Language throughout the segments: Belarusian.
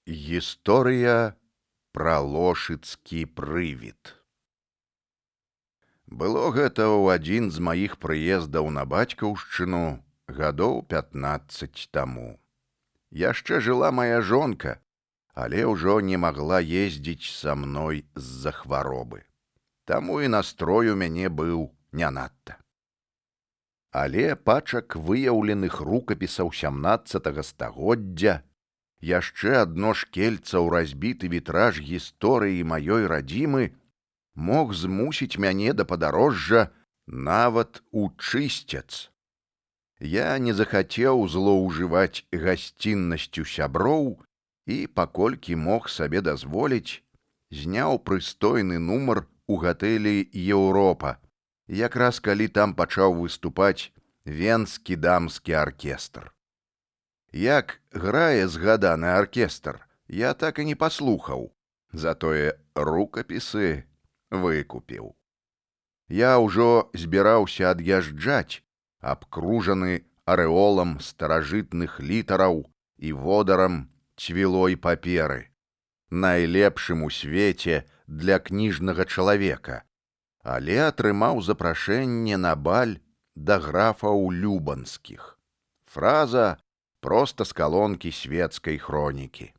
Гісторыя пра лошыцкі прывід. Было гэта ў адзін з маіх прыездаў на бацькаўшчыну гадоў 15 таму. Яшчэ жыла моя жонка, але ўжо не магла ездзіць са мной з-за хваробы. Таму і настрой у мяне быў не надта. Але пачак выяўленых рукапісаў 17 стагоддзя, яшчэ адно шкельца ў разбіты вітраж гісторыі маёй радзімы мог змусіць мяне да падарожжа нават у Чысцец. Я не захацеў злоўжываць гасціннасцю сяброў і, паколькі мог сабе дазволіць, зняў прыстойны нумар у гатэлі «Еўропа», якраз калі там пачаў выступаць венскі дамскі аркестр. Як грае згаданы аркестр, я так і не паслухаў, затое рукапісы выкупіў. Я ўжо збіраўся ад'язджаць, абкружаны арэолам старажытных літараў і водарам цвілой паперы, найлепшым у свеце для кніжнага чалавека, але атрымаў запрашэнне на баль да графаў Любанскіх. Фраза проста з калонкі свецкай хронікі.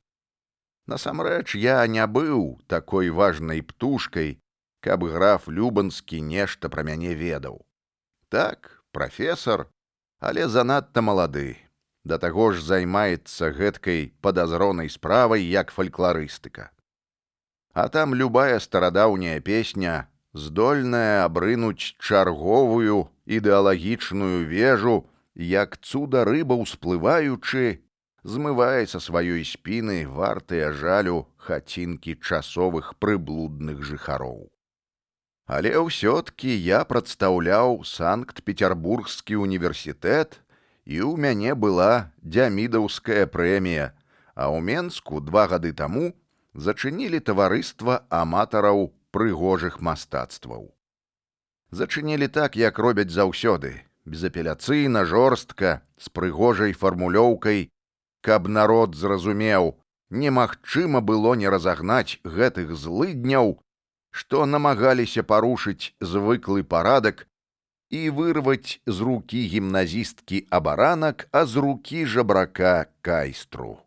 Насамрэч, я не быў такой важнай птушкай, каб граф Любанскі нешта пра мяне ведаў. Так, прафесар, але занадта малады, да таго ж займаецца гэткай падазронай справай, як фалькларыстыка. А там любая старадаўняя песня здольная абрынуць чарговую ідэалагічную вежу, як цуда рыба ўсплываючы, змывае са сваёй спіны вартыя жалю хацінкі часовых прыблудных жыхароў. Але ўсё-ткі я прадстаўляў Санкт-Петербургскі універсітэт, і ў мяне была дзямідаўская прэмія, а ў Менску 2 гады таму зачынілі таварыства аматараў прыгожых мастацтваў. Зачынілі так, як робяць заўсёды, безапеляцыйна, жорстка, з прыгожай фармулёўкай, каб народ зразумеў, немагчыма было не разагнаць гэтых злыдняў, што намагаліся парушыць звыклы парадак і вырваць з рукі гімназісткі абаранак, а з рукі жабрака кайстру.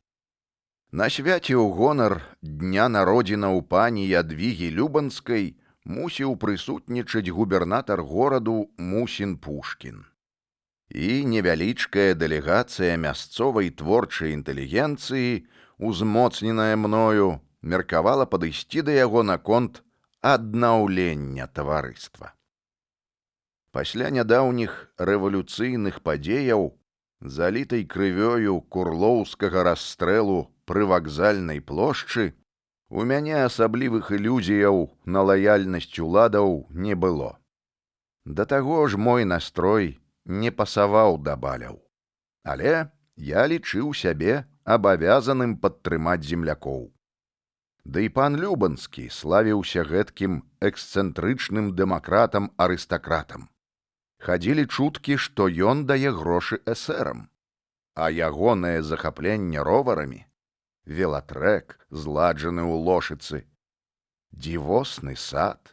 На свяце ў гонар дня народзінаў пані Ядвігі Любанскай мусіў прысутнічаць губернатар гораду Мусін Пушкін. І невялічкая дэлегацыя мясцовай творчай інтэлігенцыі, узмоцненая мною, меркавала падысці да яго наконт аднаўлення таварыства. Пасля нядаўніх рэвалюцыйных падзеяў, залітай крывёю курлоўскага расстрэлу пры вакзальнай плошчы, у мяне асаблівых ілюзіяў на лаяльнасць уладаў не было. Да таго ж мой настрой не пасаваў да баляў. Але я лічыў сябе абавязаным падтрымаць землякоў. Ды і пан Любанскі славіўся гэткім эксцэнтрычным дэмакратам-арыстакратам. Хадзілі чуткі, што ён дае грошы эсэрам, а ягонае захапленне роварамі, велатрэк, зладжаны ў Лошыцы, дзівосны сад.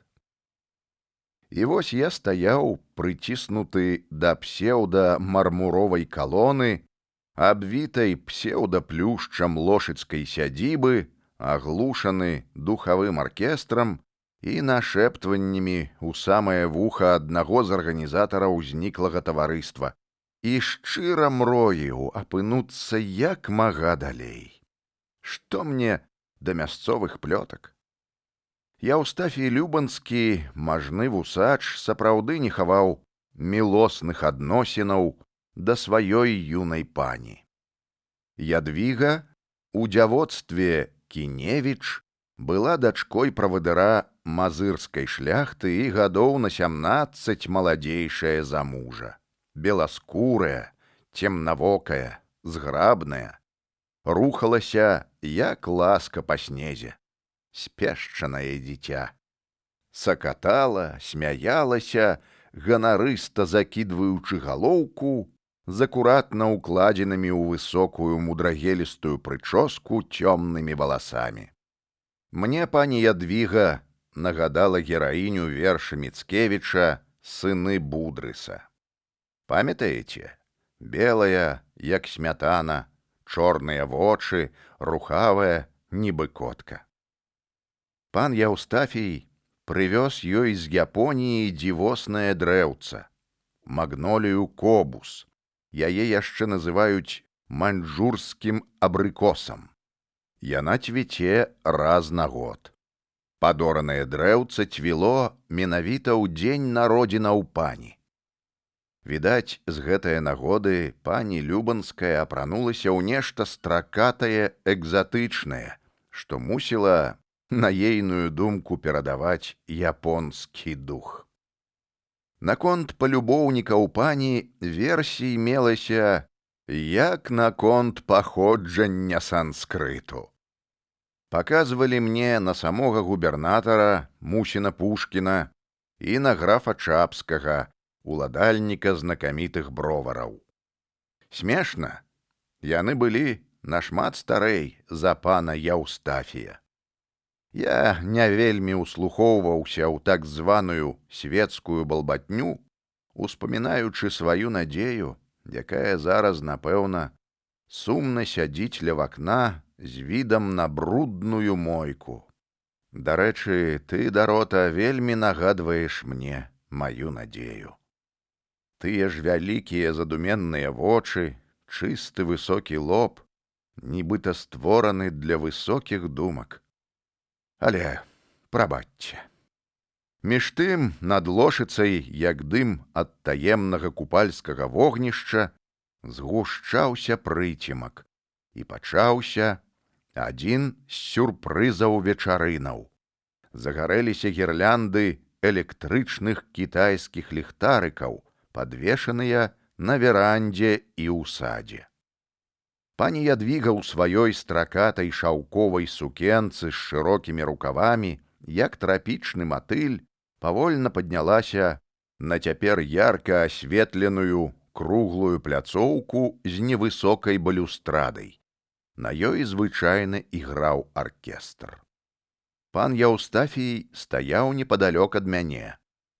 І вось я стаяў, прыціснуты да псеўда-мармуровай калоны, абвітай псеўда-плюшчам лошыцкай сядзібы, аглушаны духавым аркестрам і нашэптваннямі ў самае вуха аднаго з арганізатараў зніклага таварыства, і шчыра мроіў апынуцца як мага далей. Што мне да мясцовых плётак? Яўстафій Любанскі, мажны вусач, сапраўды не хаваў мілосных адносінаў да сваёй юнай пані. Ядвіга у дзявоцтве Кіневіч была дачкой правадыра мазырскай шляхты і гадоў на 17 маладзейшая за мужа. Беласкурая, цемнавокая, зграбная, рухалася, як ласка па снезе, спешчанае дзіця. Сакатала, смяялася, ганарыста закідваючы галоўку, з акуратна укладзенымі ў высокую мудрагелістую прычоску цёмнымі валасамі. Мне пані Ядвіга нагадала гераіню верша Міцкевіча «Сыны Будрыса». Памятаеце? Белая, як смятана, чорныя вочы, рухавая, нібы котка. Пан Яўстафій прывёз ёй з Японіі дзівоснае дрэўца, магнолію кобус. Яе яшчэ называюць маньчжурскім абрыкосам. Яна цвіце раз на год. Падоранае дрэўца цвіло менавіта ў дзень народзінаў пані. Відаць, з гэтае нагоды пані Любанская апранулася ў нешта стракатае, экзатычнае, што мусіла, на ейную думку, перадаваць японскі дух. Наконт палюбоўнікаў пані версій мелася, як наконт паходжання санскрыту. Паказвалі мне на самога губернатара Мусіна Пушкіна і на графа Чапскага, уладальніка знакамітых бровараў. Смешна, яны былі нашмат старэй за пана Яўстафія. Я не вельмі услухоўваўся ў так званую светскую балбатню, успамінаючы сваю надзею, якая зараз, напэўна, сумна сядзіць ля вакна з відам на брудную мойку. Дарэчы, ты, Дарота, вельмі нагадваеш мне маю надзею. Тыя ж вялікія задуменныя вочы, чысты высокі лоб, нібыта створаны для высокіх думак. Але прабачце. Між тым, над лошыцай, як дым ад таемнага купальскага вогнішча, згушчаўся прыцемак, і пачаўся адзін з сюрпрызаў вечарынаў. Загарэліся гірлянды электрычных кітайскіх ліхтарыкаў, падвешаныя на верандзе і ў садзе. Пані Ядвіга ў сваёй стракатай шаўковай сукенцы з шырокімі рукавамі, як трапічны матыль, павольна паднялася на цяпер ярка асветленую круглую пляцоўку з невысокай балюстрадай. На ёй звычайна іграў аркестр. Пан Яўстафій стаяў непадалёк ад мяне.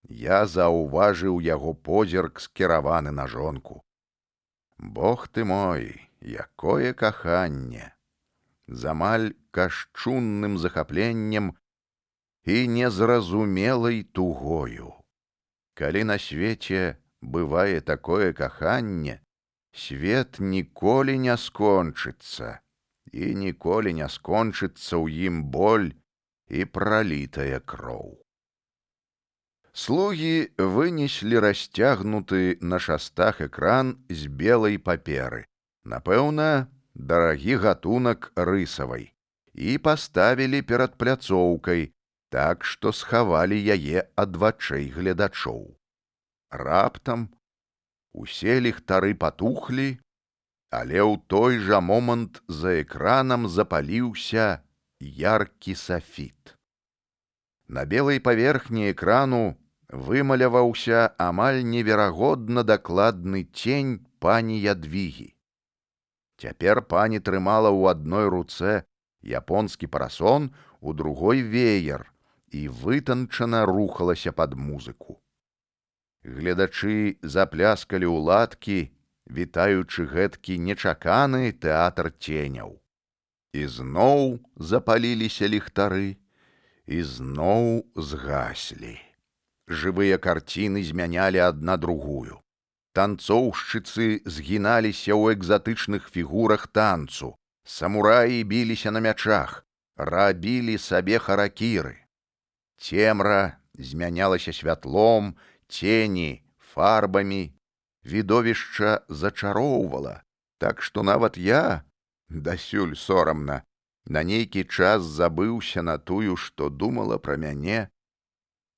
Я заўважыў яго позірк, скіраваны на жонку. Бог ты мой, якое каханне! З амаль кашчунным захапленнем і незразумелай тугою. Калі на свеце бывае такое каханне, свет ніколі не скончыцца, і ніколі не скончыцца ў ім боль і пралітая кроў. Слугі вынеслі расцягнуты на шастах экран з белай паперы, напэўна, дарагі гатунак рысавай, і паставілі перад пляцоўкай, так што схавалі яе ад вачэй гледачоў. Раптам усе ліхтары патухлі, але ў той жа момант за экранам запаліўся яркі сафіт. На белай паверхні экрану вымаляваўся амаль неверагодна дакладны цень пані Ядвігі. Цяпер пані трымала ў адной руцэ японскі парасон, у другой веер і вытанчана рухалася пад музыку. Гледачы запляскалі ў ладкі, вітаючы гэткі нечаканы тэатр ценяў. І зноў запаліліся ліхтары, і зноў згаслі. Жывыя карціны змянялі адна другую. Танцоўшчыцы згіналіся ў экзатычных фігурах танцу, самураі біліся на мячах, рабілі сабе харакіры. Цемра змянялася святлом, цені фарбамі, відовішча зачароўвала, так што нават я, дасюль сорамна, на нейкі час забыўся на тую, што думала пра мяне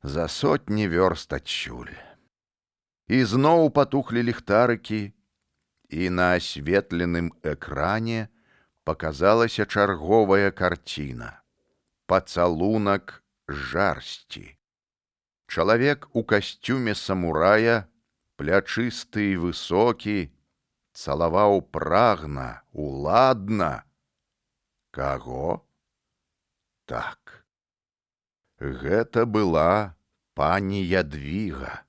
за сотні вёрст адсюль. І зноў патухлі ліхтарыкі, і на асветленым экране паказалася чарговая карціна. Пацалунак жарсці. Чалавек у касцюме самурая, плячысты і высокі, цалаваў прагна, уладна. Каго? Так. Гэта была пані Ядвіга.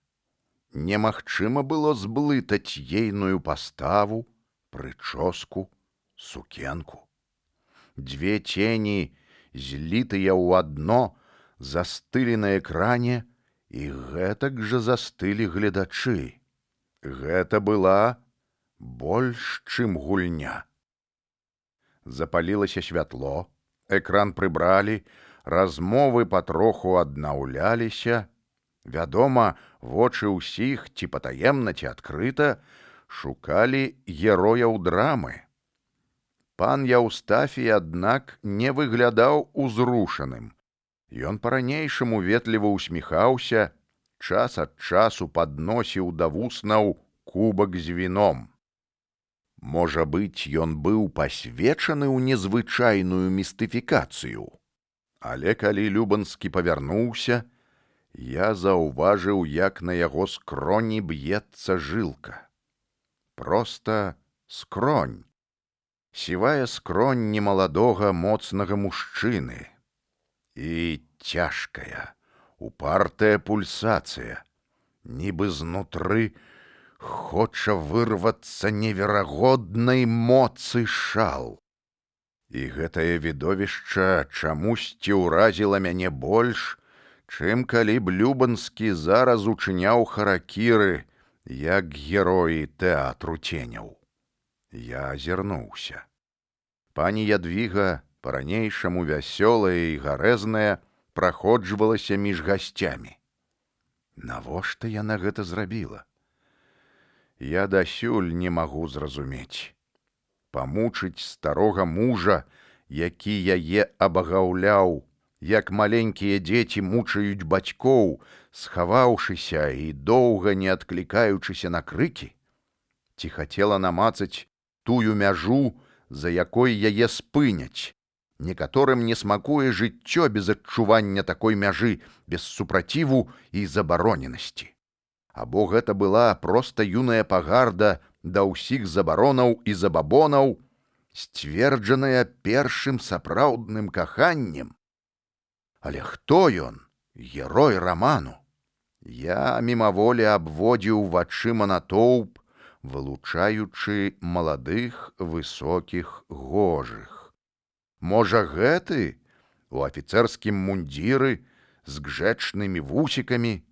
Немагчыма было зблытаць ейную паставу, прычоску, сукенку. Дзве цені, злітыя ў адно, застылі на экране, і гэтак жа застылі гледачы. Гэта была больш, чым гульня. Запалілася святло, экран прыбралі, размовы патроху аднаўляліся. Вядома, вочы ўсіх, ці патаемна, ці адкрыта, шукалі герояў драмы. Пан Яўстафій, аднак, не выглядаў узрушаным. Ён па-ранейшаму ветліва усміхаўся, час ад часу падносіў да вуснаў кубак з віном. Можа быць, ён быў пасвечаны ў незвычайную містыфікацыю. Але калі Любанскі павярнуўся, я заўважыў, як на яго скроні б'ецца жылка. Проста скронь. Сівая скронь немаладога, моцнага мужчыны. І цяжкая, упартая пульсацыя. Нібы знутры хоча вырвацца неверагоднай моцы шал. І гэтае відовішча чамусьці ўразіла мяне больш, чым калі б Любанскі зараз учыняў харакіры, як героі тэатру ценяў. Я азірнуўся. Пані Ядвіга, па-ранейшаму вясёлая і гарэзная, праходжвалася між гасцямі. Навошта яна гэта зрабіла? Я дасюль не магу зразумець. Памучыць старога мужа, які яе абагаўляў, як маленькія дзеці мучаюць бацькоў, схаваўшыся і доўга не адклікаючыся на крыкі? Ці хацела намацаць тую мяжу, за якой яе спыняць? Некаторым не смакуе жыццё без адчування такой мяжы, без супраціву і забароненасці. Або гэта была проста юная пагарда да ўсіх забаронаў і забабонаў, сцверджаная першым сапраўдным каханнем? Але хто ён, герой раману? Я мімаволі абводзіў вачыма натоўп, вылучаючы маладых, высокіх, гожых. Можа, гэты у афіцэрскім мундзіры з гжэчнымі вусікамі,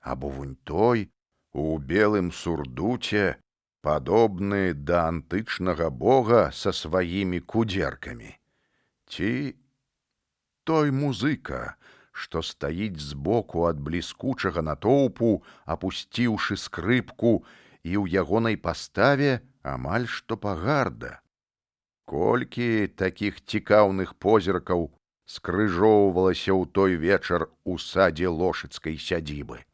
або вунь той у белым сурдуце, падобны да антычнага бога са сваімі кудзеркамі? Ці той музыка, што стаіць збоку ад бліскучага натоўпу, апусціўшы скрыпку, і ў ягонай паставе амаль што пагарда? Колькі такіх цікаўных позіркаў скрыжоўвалася ў той вечар у садзе лошыцкай сядзібы.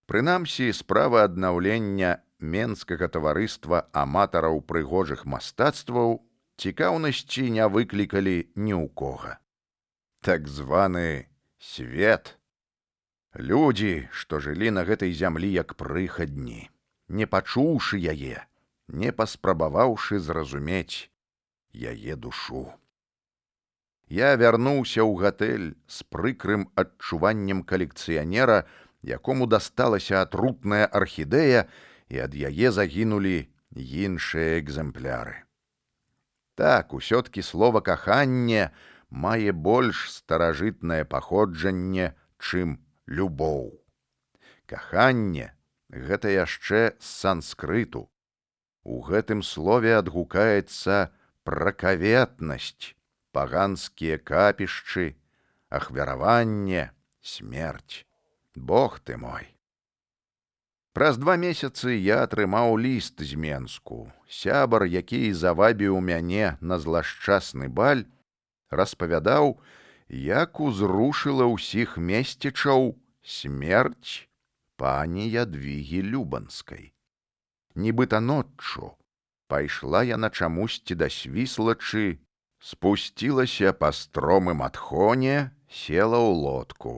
Прынамсі, справа аднаўлення менскага таварыства аматараў прыгожых мастацтваў цікаўнасці не выклікалі ні ў кога. Так званы свет. Людзі, што жылі на гэтай зямлі як прыхадні, не пачуўшы яе, не паспрабаваўшы зразумець яе душу. Я вярнуўся ў гатэль з прыкрым адчуваннем калекцыянера, якому дасталася атрутная архідэя, і ад яе загінулі іншыя экземпляры. Так, усё-ткі слова «каханне» мае больш старажытнае паходжанне, чым любоў. Каханне — гэта яшчэ з санскрыту. У гэтым слове адгукаецца пракаветнасць, паганскія капішчы, ахвяраванне, смерць. Бог ты мой! Праз 2 месяцы я атрымаў ліст з Менску. Сябар, які завабіў мяне на злашчасны баль, распавядаў, як узрушыла ўсіх месцічаў смерць пані Ядвігі Любанскай. Нібыта ноччу пайшла яна чамусьці да Свіслачы, спусцілася па стромым адхоне, села ў лодку,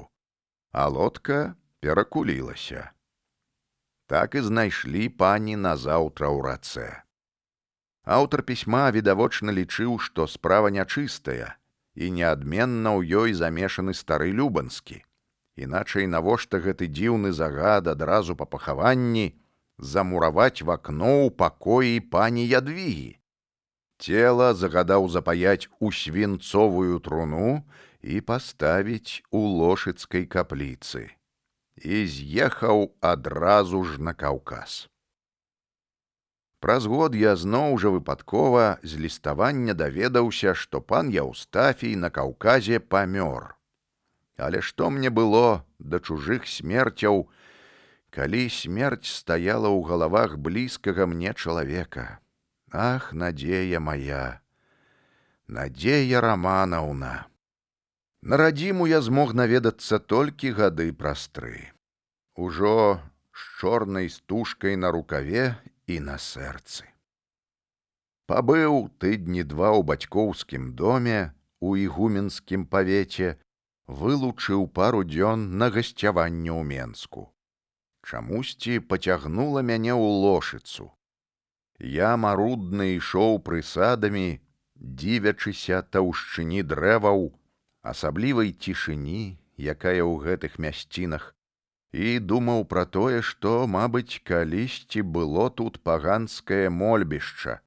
а лодка перакулілася. Так і знайшлі пані назаўтра ў рацэ. Аўтар пісьма відавочна лічыў, што справа нячыстая, і неадменна ў ёй замешаны стары Любанскі. Іначай навошта гэты дзіўны загад адразу па пахаванні замураваць в акно ў пакоі пані Ядвігі? Цела загадаў запаяць у свінцовую труну і паставіць у лошыцкай капліцы. І з'ехаў адразу ж на Каўказ. Праз год я зноў жа выпадкова з ліставання даведаўся, што пан Яўстафій на Каўказе памёр. Але што мне было да чужых смерцяў, калі смерць стаяла ў галавах блізкага мне чалавека? Ах, надзея моя, Надзея Раманаўна! На радзіму я змог наведацца толькі гады праз 3. Ужо з чорнай стужкай на рукаве і на сэрцы. Пабыў тыдні 2 ў бацькоўскім доме у ігуменскім павеце, вылучыў пару дзён на гасцяванне ў Менску. Чамусьці пацягнула мяне ў Лошыцу. Я марудна ішоў прысадамі, дзівячыся таўшчыні дрэваў, асаблівай цішыні, якая ў гэтых мясцінах, і думаў пра тое, што, мабыць, калісьці было тут паганскае мольбішча.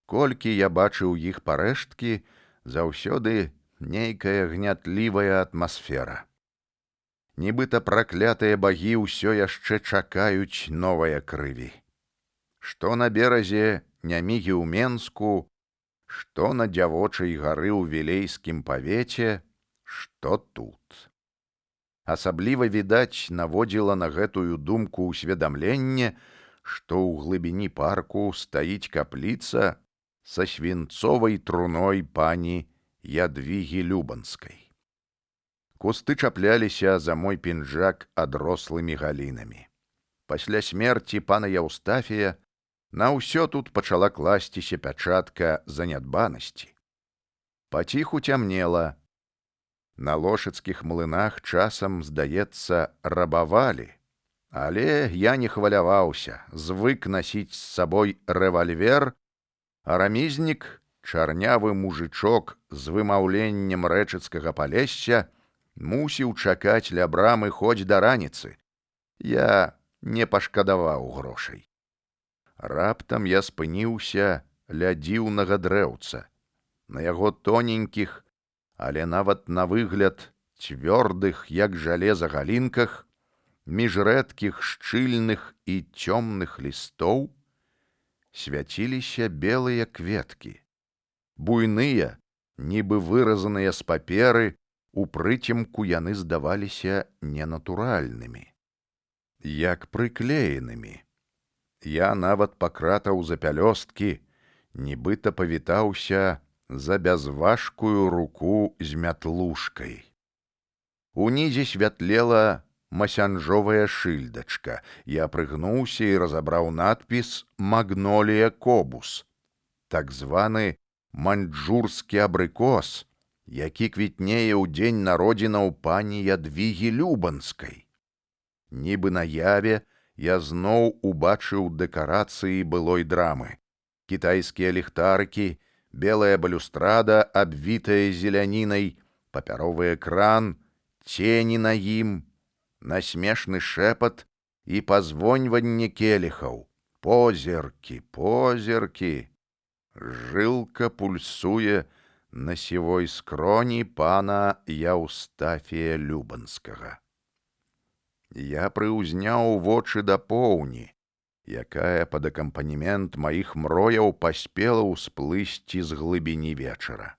Колькі я бачыў іх парэшткі, заўсёды нейкая гнятлівая атмасфера. Нібыта праклятыя багі ўсё яшчэ чакаюць новая крыві. Што на беразе Нямігі ў Менску, што на дзявочай гары ў Вілейскім павеце, што тут. Асабліва, відаць, наводзіла на гэтую думку ўсведамленне, што ў глыбіні парку стаіць капліца са свінцовай труной пані Ядвігі Любанскай. Кусты чапляліся за мой пінжак адрослымі галінамі. Пасля смерці пана Яўстафія на ўсё тут пачала класціся пячатка занядбанасці. Паціху цямнела. На лошыцкіх млынах часам, здаецца, рабавалі, але я не хваляваўся, звык насіць з сабой рэвальвер, а рамізнік, чарнявы мужычок з вымаўленнем рэчыцкага палесся, мусіў чакаць ля брамы хоць да раніцы. Я не пашкадаваў грошай. Раптам я спыніўся ля дзіўнага дрэўца. На яго тоненькіх, але нават на выгляд цвёрдых, як жалеза, галінках, між рэдкіх шчыльных і цёмных лістоў свяціліся белыя кветкі. Буйныя, нібы выразаныя з паперы, у прыцемку яны здаваліся ненатуральнымі, як прыклеенымі. Я нават пакратаў за пялёсткі, нібыта павітаўся за бязважкую руку з мятлушкай. Унізе святлела масянжовая шыльдачка. Я прыгнуўся і разабраў надпіс «Магнолія кобус», так званы маньчжурскі абрыкос, які квітнее ў дзень народзінаў пані Ядвігі Любанскай. Нібы на яве я зноў убачыў дэкарацыі былой драмы. Кітайскія ліхтарыкі, белая балюстрада, абвітая зелянінай, папяровы экран, цені на ім, насмешны шэпат і пазвоньванне келіхаў. Позіркі, позіркі. Жылка пульсуе на сівой скроні пана Яўстафія Любанскага. Я прыўзняў вочы да поўні, якая пад акампанемент маіх мрояў паспела ўсплысці з глыбіні вечара.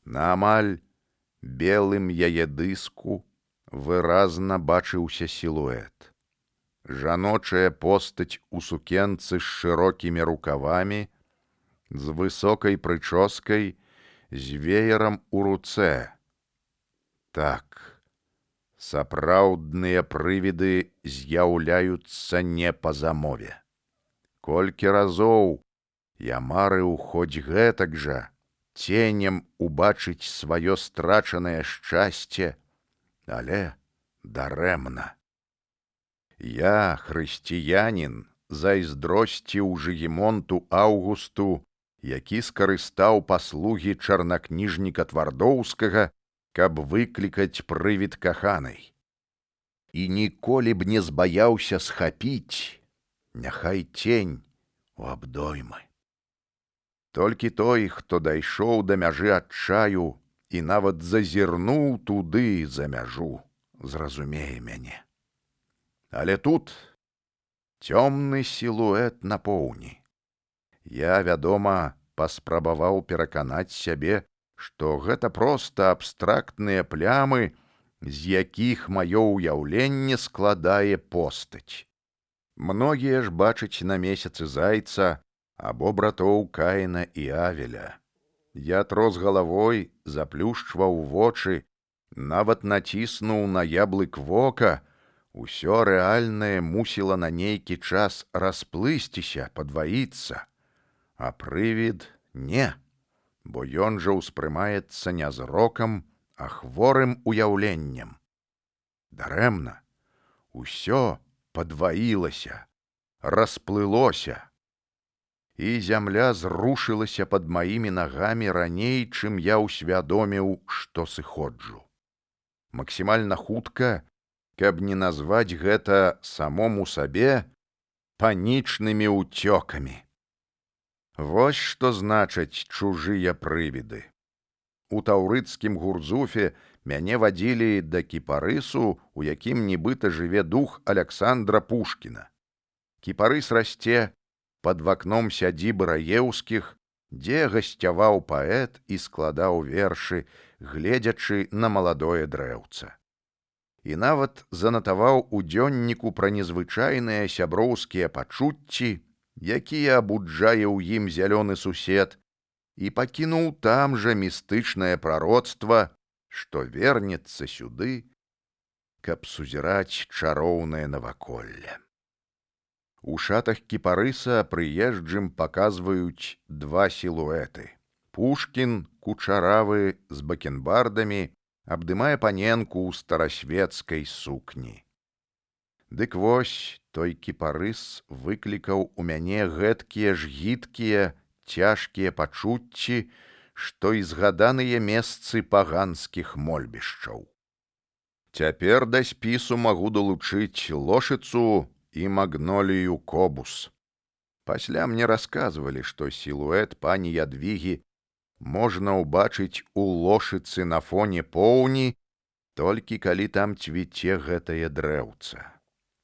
На амаль белым яе дыску выразна бачыўся сілуэт. Жаночая постаць у сукенцы з шырокімі рукавамі, з высокай прычоскай, з веерам у руцэ. Так, сапраўдныя прывіды з'яўляюцца не па замове. Колькі разоў я марыў хоць гэтак жа ценем убачыць сваё страчанае шчасце, але дарэмна. Я, хрысціянін, зайздросціў Жыгімонту Аўгусту, які скарыстаў паслугі чарнакніжніка Твардоўскага, каб выклікаць прывід каханай. І ніколі б не збаяўся схапіць, няхай цень у абдоймы. Толькі той, хто дайшоў да мяжы адчаю і нават зазірнуў туды за мяжу, зразумее мяне. Але тут цёмны сілуэт на поўні. Я, вядома, паспрабаваў пераканаць сябе, што гэта проста абстрактныя плямы, з якіх маё ўяўленне складае постаць. Многія ж бачаць на месяцы зайца або братоў Каіна і Авеля. Я трос галавой, заплюшчваў вочы, нават націснуў на яблык вока, усё рэальнае мусіла на нейкі час расплысціся, падваіцца, а прывід не, бо ён жа ўспрымаецца не зрокам, а хворым уяўленнем. Дарэмна, усё падваілася, расплылося, і зямля зрушылася пад маімі нагамі раней, чым я ўсвядоміў, што сыходжу. Максімальна хутка, каб не назваць гэта самому сабе панічнымі ўцёкамі. Вось што значаць чужыя прывіды. У таўрыцкім Гурзуфе мяне вадзілі да кіпарысу, у якім нібыта жыве дух Аляксандра Пушкіна. Кіпарыс расце пад вакном сядзібы Раеўскіх, дзе гасцяваў паэт і складаў вершы, гледзячы на маладое дрэўца. І нават занатаваў у дзённіку пра незвычайныя сяброўскія пачуцці, якія абуджае ў ім зялёны сусед, і пакінуў там жа містычнае прароцтва, што вернецца сюды, каб сузіраць чароўнае наваколле. У шатах кіпарыса прыезджым паказваюць два сілуэты. Пушкін, кучаравы, з бакенбардамі, абдымае паненку ў старасвецкай сукні. Дык вось, той кіпарыс выклікаў у мяне гэткія ж гідкія, цяжкія пачуцці, што і згаданыя месцы паганскіх мольбішчаў. Цяпер да спісу магу далучыць лошыцу і магнолію кобус. Пасля мне расказвалі, што сілуэт пані Ядвігі можна ўбачыць у лошыцы на фоне поўні, толькі калі там цвіце гэтае дрэўца.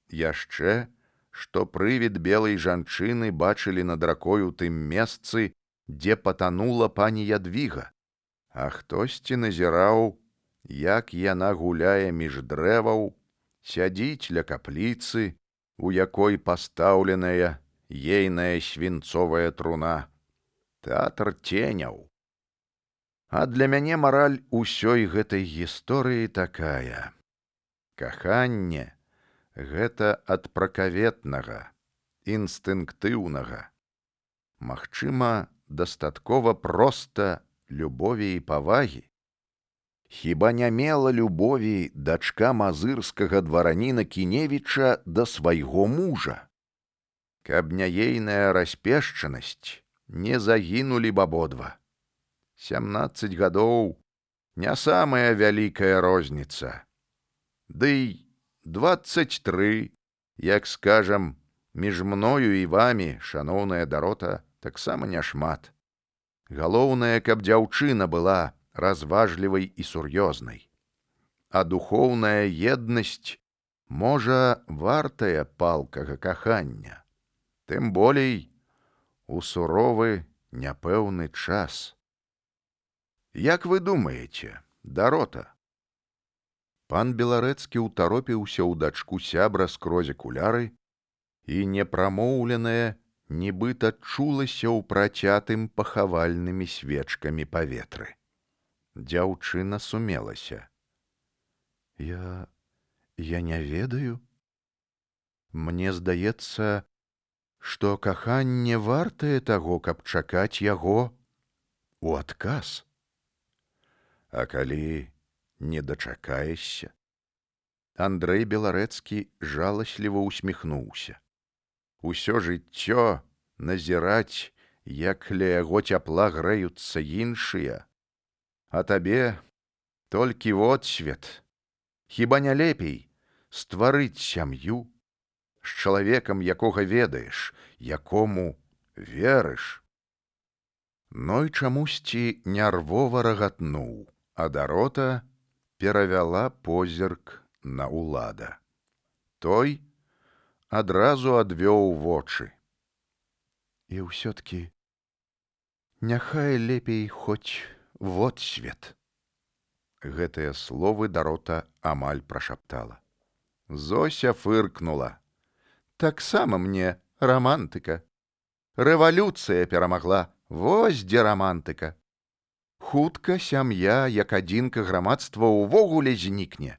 Яшчэ, што прывід белай жанчыны бачылі над ракою тым месцы, дзе патанула пані Ядвіга, а хтосьці назіраў, як яна гуляе між дрэваў, сядзіць ля капліцы, у якой пастаўленая ейная свінцовая труна. Тэатр ценяў. А для мяне мараль усёй гэтай гісторыі такая. Каханне — гэта ад пракаветнага, інстынктыўнага. Магчыма, дастаткова проста любові і павагі. Хіба не мела любові дачка мазырскага двараніна Кіневіча да свайго мужа? Каб не ейная распешчанасць, не загінулі б абодва. 17 гадоў — не самая вялікая розніца. Ды 23, як скажам, між мною і вамі, шаноўная Дарота, таксама няшмат. Галоўнае, каб дзяўчына была разважлівай і сур'ёзнай. А духоўная еднасць, можа, вартая палкага кахання. Тым болей у суровы, няпэўны час. Як вы думаеце, Дарота? Пан Беларэцкі ўтаропіўся ў дачку сябра скрозь акуляры, і непрамоўленае нібыта чулася ў працятым пахавальнымі свечкамі паветры. Дзяўчына сумелася. Я не ведаю. Мне здаецца, што каханне вартае таго, каб чакаць яго у адказ. А калі не дачакаешся? Андрэй Беларэцкі жаласліва усміхнуўся. усё жыццё назіраць, як ля яго цяпла грэюцца іншыя, а табе толькі водсвет. Хіба не лепей стварыць сям'ю з чалавекам, якога ведаеш, якому верыш? Ной чамусьці нярвова рагатнуў, а Дарота перавяла позірк на Улада. Той адразу адвёў вочы. І ўсё-ткі няхай лепей хоць водсвет. Гэтыя словы Дарота амаль прашаптала. Зося фыркнула. Таксама мне рамантыка. Рэвалюцыя перамагла, вось дзе рамантыка. Хутка сям'я, як адзінка грамадства ўвогуле знікне,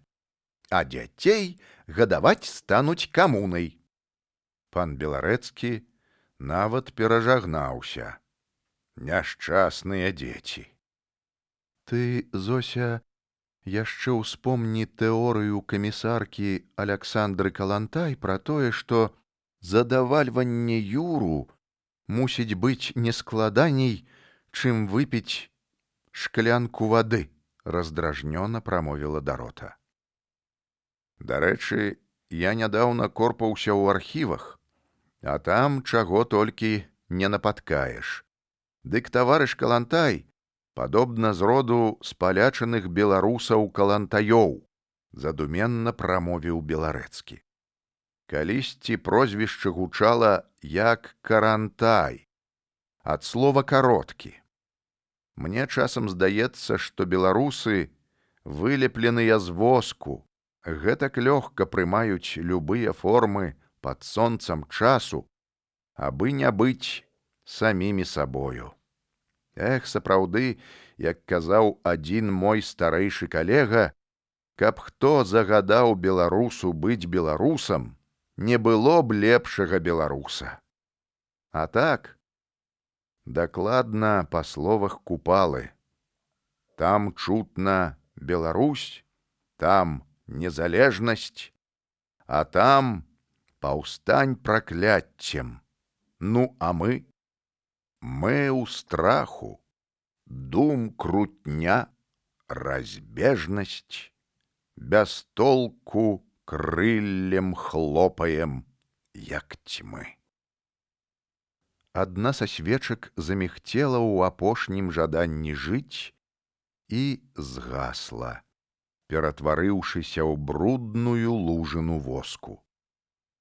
а дзяцей гадаваць стануць камунай. Пан Беларэцкі нават перажагнаўся. Няшчасныя дзеці. Ты, Зося, яшчэ ўспомні тэорыю камісаркі Аляксандры Калантай пра тое, што задавальванне юру мусіць быць не складаней, чым выпіць шклянку вады, раздражнёна прамовіла Дарота. Дарэчы, я нядаўна корпаўся ў архівах, а там чаго толькі не напаткаеш. Дык таварыш Калантай падобна з роду спалячаных беларусаў калантаёў, задуменна прамовіў Беларэцкі. Калісьці прозвішча гучала як Карантай, ад слова кароткі. Мне часам здаецца, што беларусы вылепленыя з воску, гэтак лёгка прымаюць любыя формы пад сонцам часу, абы не быць самімі сабою. Эх, сапраўды, як казаў адзін мой старэйшы калега, каб хто загадаў беларусу быць беларусам, не было б лепшага беларуса. А так, дакладна па словах Купалы. Там чутна Беларусь, там незалежнасць, а там паўстань пракляццем. Ну, а мы? Мы ў страху, дум крутня, разбежнасць, без толку крыллем хлопаем, як тьмы. Адна са свечак замігцела ў апошнім жаданні жыць і згасла, ператварыўшыся ў брудную лужыну воску.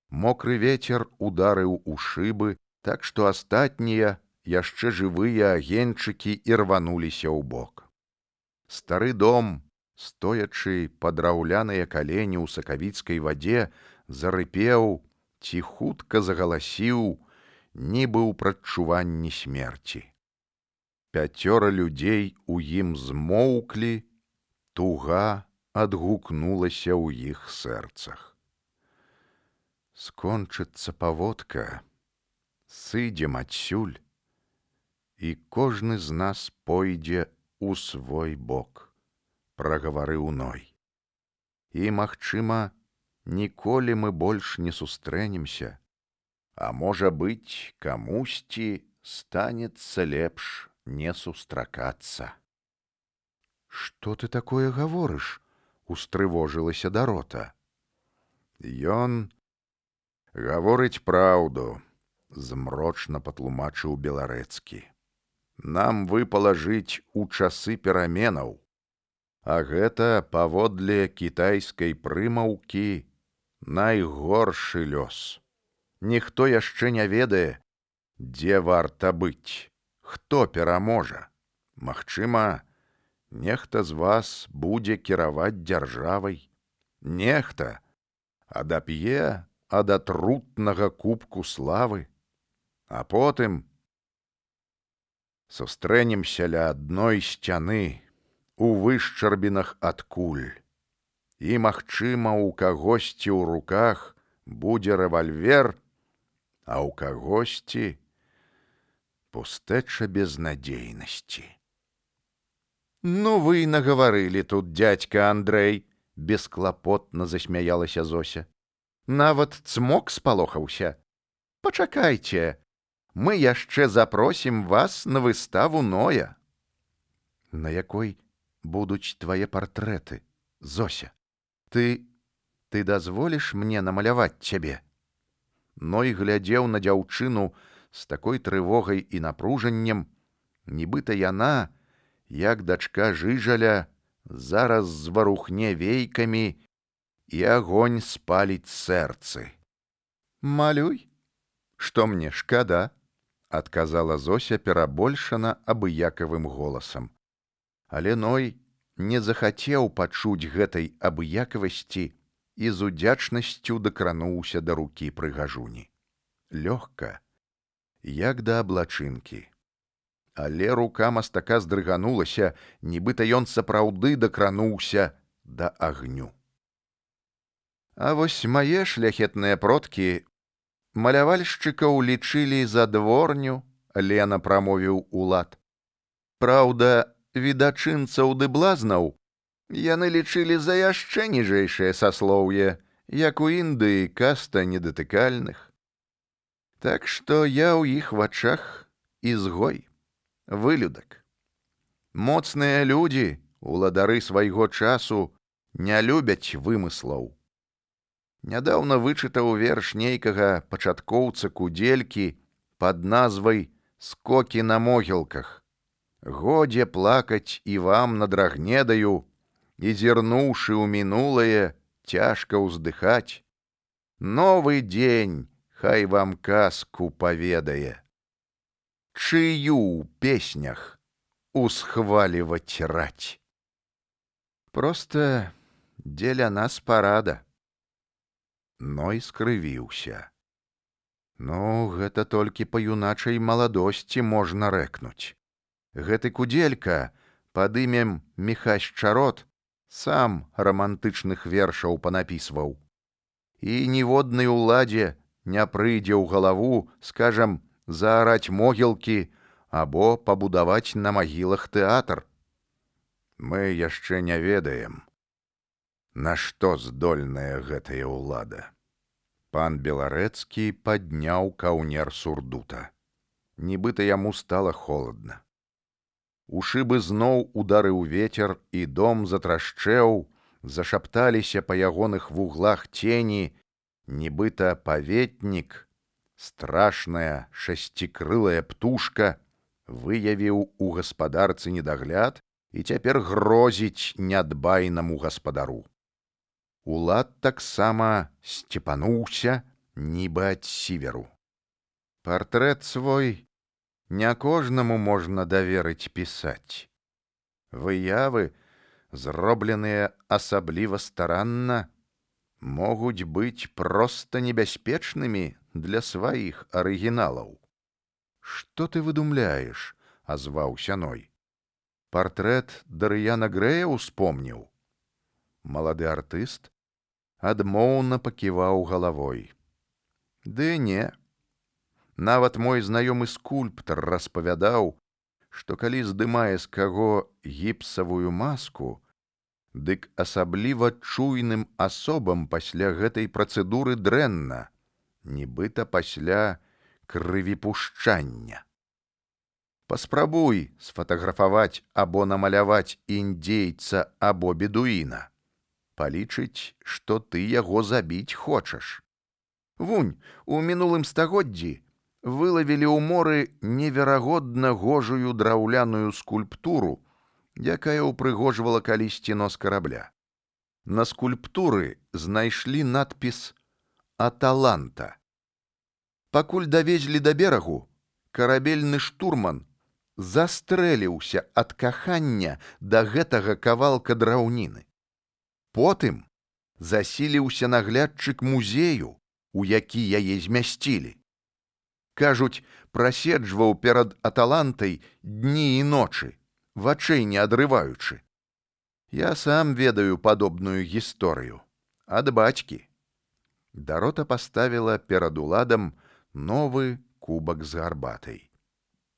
Мокры вецер ударыў у шыбы, так што астатнія, яшчэ жывыя агеньчыкі ірвануліся ў бок. Стары дом, стоячы па драўляныя калені ў сакавіцкай вадзе, зарыпеў ці хутка загаласіў, нібы ў прадчуванні смерці. 5 людзей у ім змоўклі, туга адгукнулася ў іх сэрцах. Скончыцца паводка, сыдзем адсюль, і кожны з нас пойдзе у свой бок, прагаварыў Ной. І, магчыма, ніколі мы больш не сустрэнемся, а можа быць, камусьці станецца лепш не сустракацца. Што ты такое гаворыш? Устрывожылася Дарота. Ён гаворыць праўду, змрочна патлумачыў Беларэцкі. Нам выпала жыць у часы пераменаў, а гэта, паводле кітайскай прымаўкі, найгоршы лёс. Ніхто яшчэ не ведае, дзе варта быць, хто пераможа. Магчыма, нехта з вас будзе кіраваць дзяржавай, нехта адап'е ад атрутнага кубку славы, а потым сустрэнемся ля адной сцяны у вышчарбінах ад куль, і, магчыма, у кагосьці ў руках будзе рэвальвер, а ў кагосьці пустэча безнадзейнасці. Ну вы нагаварылі тут, дзядзька Андрэй, бесклапотна засмяялася Зося. Нават цмок спалохаўся. Пачакайце, мы яшчэ запросім вас на выставу Ноя. На якой будуць твае партрэты, Зося? Ты дазволіш мне намаляваць цябе? Ной глядзеў на дзяўчыну з такой трывогай і напружаннем, нібыта яна, як дачка Жыжаля, зараз зварухне вейкамі і агонь спаліць сэрцы. Малюй, што мне шкада, адказала Зося перабольшана абыякавым голасам. Але Ной не захацеў пачуць гэтай абыякавасці і з удзячнасцю дакрануўся да рукі прыгажуні. Лёгка, як да аблачынкі. Але рука мастака здрыганулася, нібыта ён сапраўды дакрануўся да агню. А вось мае шляхетныя продкі малявальшчыкаў лічылі за дворню, лена прамовіў Улад. Праўда, відачынцаў ды блазнаў яны лічылі за яшчэ ніжэйшае саслоўе, як у Індыі каста недатыкальных. Так што я ў іх вачах ізгой, вылюдак. Моцныя людзі, уладары свайго часу, не любяць вымыслаў. Нядаўна вычытаў верш нейкага пачаткоўца Кудзелькі пад назвай «Скокі на могілках». Годзе плакаць і вам над Рагнедаю, і зірнуўшы ў мінулае, цяжка ўздыхаць. Новы дзень хай вам казку паведае. Чыю ў песнях усхваліваць раць. Проста дзеля нас парада. Ной скрывіўся. Ну, гэта толькі па юначай маладосці можна рэкнуць. Гэты Кудзелька пад імем Міхась Чарот сам рамантычных вершаў панапісваў. І ніводнай уладзе не прыйдзе ў галаву, скажам, заараць могілкі або пабудаваць на магілах тэатр. Мы яшчэ не ведаем, на што здольная гэтая ўлада. Пан Беларэцкі падняў каўнер сурдута. Нібыта яму стала холадна. У шыбы зноў ударыў вецер, і дом затрашчэў, зашапталіся па ягоных вуглах цені, нібыта паветнік, страшная шасцікрылая птушка, выявіў у гаспадарцы недагляд і цяпер грозіць нядбайнаму гаспадару. Улад таксама сцепануўся, нібы ад сіверу. Партрэт свой не кожнаму можна даверыць пісаць. Выявы, зробленыя асабліва старанна, могуць быць проста небяспечнымі для сваіх арыгіналаў. Што ты выдумляеш? Азваўся Ной. Партрэт Дарыяна Грэя ўспомніў. Малады артыст адмоўна паківаў галавой. Ды не. Нават мой знаёмы скульптар распавядаў, што калі здымае з каго гіпсавую маску, дык асабліва чуйным асобам пасля гэтай працэдуры дрэнна, нібыта пасля крывіпушчання. Паспрабуй сфатаграфаваць або намаляваць індзейца або бедуіна. Палічыць, што ты яго забіць хочаш. Вунь, у мінулым стагоддзі вылавілі ў моры неверагодна гожую драўляную скульптуру, якая ўпрыгожвала калісьці нос карабля. На скульптуры знайшлі надпіс «Аталанта». Пакуль давезлі да берагу, карабельны штурман застрэліўся ад кахання да гэтага кавалка драўніны. Потым засіліўся наглядчык музею, у які яе змясцілі. Кажуць, праседжваў перад Аталантай дні і ночы, вачэй не адрываючы. Я сам ведаю падобную гісторыю. Ад бацькі. Дарота паставіла перад уладам новы кубак з гарбатай.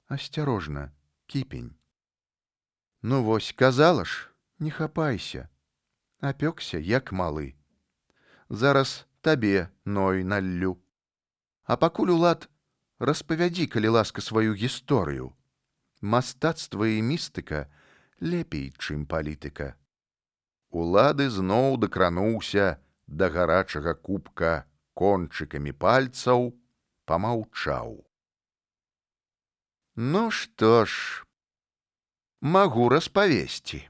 Асцярожна, кіпень. Ну вось, казала ж, не хапайся. Апёкся, як малы. Зараз табе, Ной, наллю. А пакуль, Улад, распавядзі, калі ласка, сваю гісторыю. Мастацтва і містыка лепей, чым палітыка. Улады зноў дакрануўся да гарачага кубка кончыкамі пальцаў, памаўчаў. Ну што ж, магу распавесці.